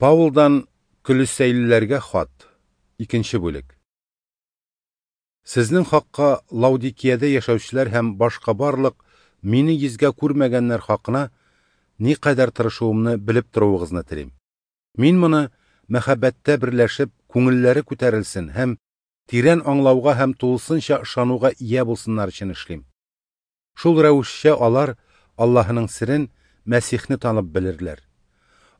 Паулдан Көлесәйлеләргә хат. Икенче бүлек. Сезнең хакка Лаудикиядә яшәүчеләр һәм башка барлык мине йөзгә күрмәгәннәр хакына никадәр тырышуымны белеп торуыгызны телим. Мин моны мәхәббәттә берләшеп, күңелләре күтәрелсен һәм тирән аңлауга һәм тулысынча ышануга ия булсыннар өчен эшлим. Шул рәвешчә алар Аллаһының серен, Мәсихне танып белерләр.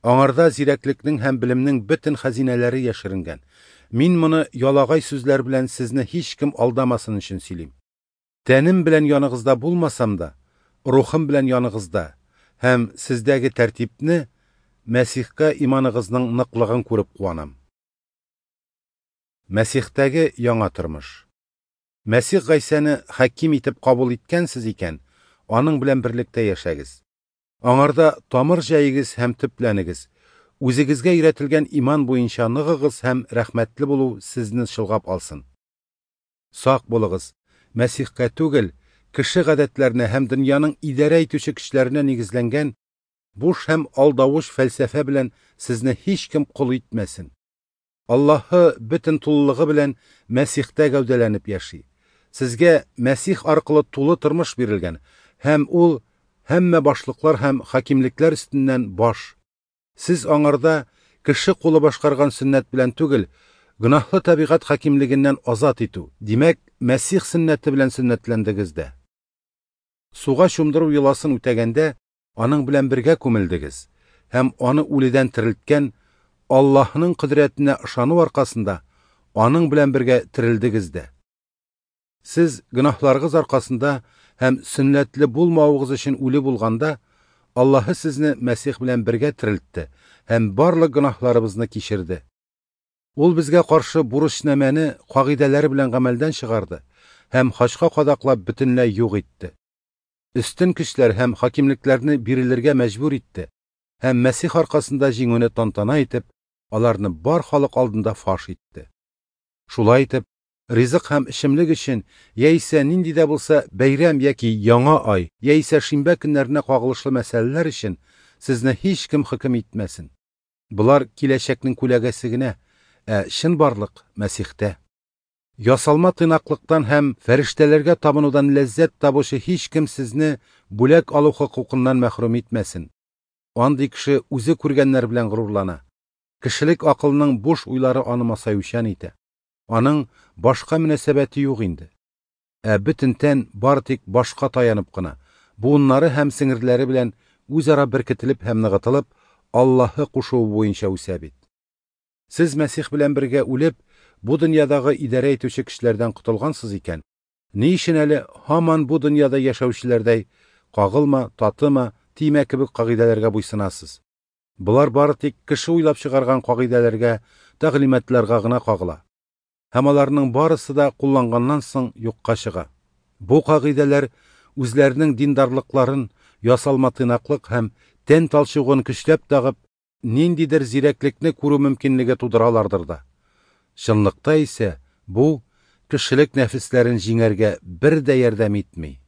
Аңарда зирәклекнең һәм белемнең бөтен хәзинәләре яшеренгән. Мин моны ялагай сүзләр белән сезне һичкем алдамасын өчен сөйлим. Тәнем белән яныгызда булмасам да, рухым белән яныгызда һәм сездәге тәртипне, Мәсихкә иманыгызның ныклыгын күреп куанам. Мәсихтәге яңа тормыш. Мәсих Гайсәне хаким итеп кабул иткәнсез икән, аның белән берлектә яшәгез. Аңарда тамыр җәегез һәм төпләнегез. Үзегезгә өйрәтелгән иман буенча ныгыгыз һәм рәхмәтле булу сезне чолгап алсын. Сак булыгыз, Мәсихкә түгел, кеше гадәтләренә һәм дөньяның идарә итүче көчләренә нигезләнгән буш һәм алдавыч фәлсәфә белән сезне һичкем кол итмәсен. Аллаһы бөтен тулылыгы белән Мәсихтә гәүдәләнеп яши. Сезгә Мәсих аркылы тулы тормыш бирелгән, һәм ул һәммә башлыклар һәм хакимлекләр өстеннән баш. Сез аңарда кеше кулы башкарган сөннәт белән түгел, гөнаһлы табигать хакимлегеннән азат итү, димәк, Мәсих сөннәте белән сөннәтләндегез дә. Суга чумдыру йоласын үтәгәндә, аның белән бергә күмелдегез һәм аны үледән терелткән Аллаһның кодрәтенә ышану аркасында аның белән бергә терелдегез дә. Сез гөнаһларыгыз аркасында һәм сөннәтле булмавыгыз өчен үле булганда, Аллаһы сезне Мәсих белән бергә терелтте һәм барлык гөнаһларыбызны кичерде. Ул безгә каршы бурычнамәне кагыйдәләре белән гамәлдән чыгарды һәм хачка кадаклап бөтенләй юк итте. Өстен көчләр һәм хакимлекләрне бирелергә мәҗбүр итте һәм Мәсих аркасында җиңүне тантана итеп, аларны бар халык алдында фаш итте. Шулай итеп, ризык һәм эчемлек өчен яисә нинди дә булса бәйрәм яки яңа ай, яисә шимбә көннәренә кагылышлы мәсьәләләр өчен сезне һичкем хөкем итмәсен. Болар киләчәкнең күләгәсе генә, ә чынбарлык Мәсихтә. Ясалма тыйнаклыктан һәм фәрештәләргә табынудан ләззәт табучы һичкем сезне бүләк алу хокукыннан мәхрүм итмәсен. Андый кеше үзе күргәннәр белән горурлана. Кешелек акылының буш уйлары аны масаючан итә. Аның башка мөнәсәбәте юк инде. Ә бөтен тән бары тик башка таянып кына, буыннары һәм сеңерләре белән үзара беркетелеп һәм ныгытылып, Аллаһы кушуы буенча үсә бит. Сез Мәсих белән бергә үлеп, бу дөньядагы идарә итүче көчләрдән котылгансыз икән, ни өчен әле һаман бу дөньяда яшәүчеләрдәй кагылма, татыма, тимә кебек кагыйдәләргә буйсынасыз? Болар бары тик кеше уйлап чыгарган кагыйдәләргә, тәгълиматларга гына кагыла. Һәм аларның барысы да кулланганнан соң юкка чыга. Бу кагыйдәләр үзләренең диндарлыкларын, ясалма тыйнаклык һәм тән талчыгын көчләп тагып, ниндидер зирәклекне күрү мөмкинлеге тудыралардыр да. Чынлыкта исә бу кешелек нәфесләрен җиңәргә бер дә ярдәм итми.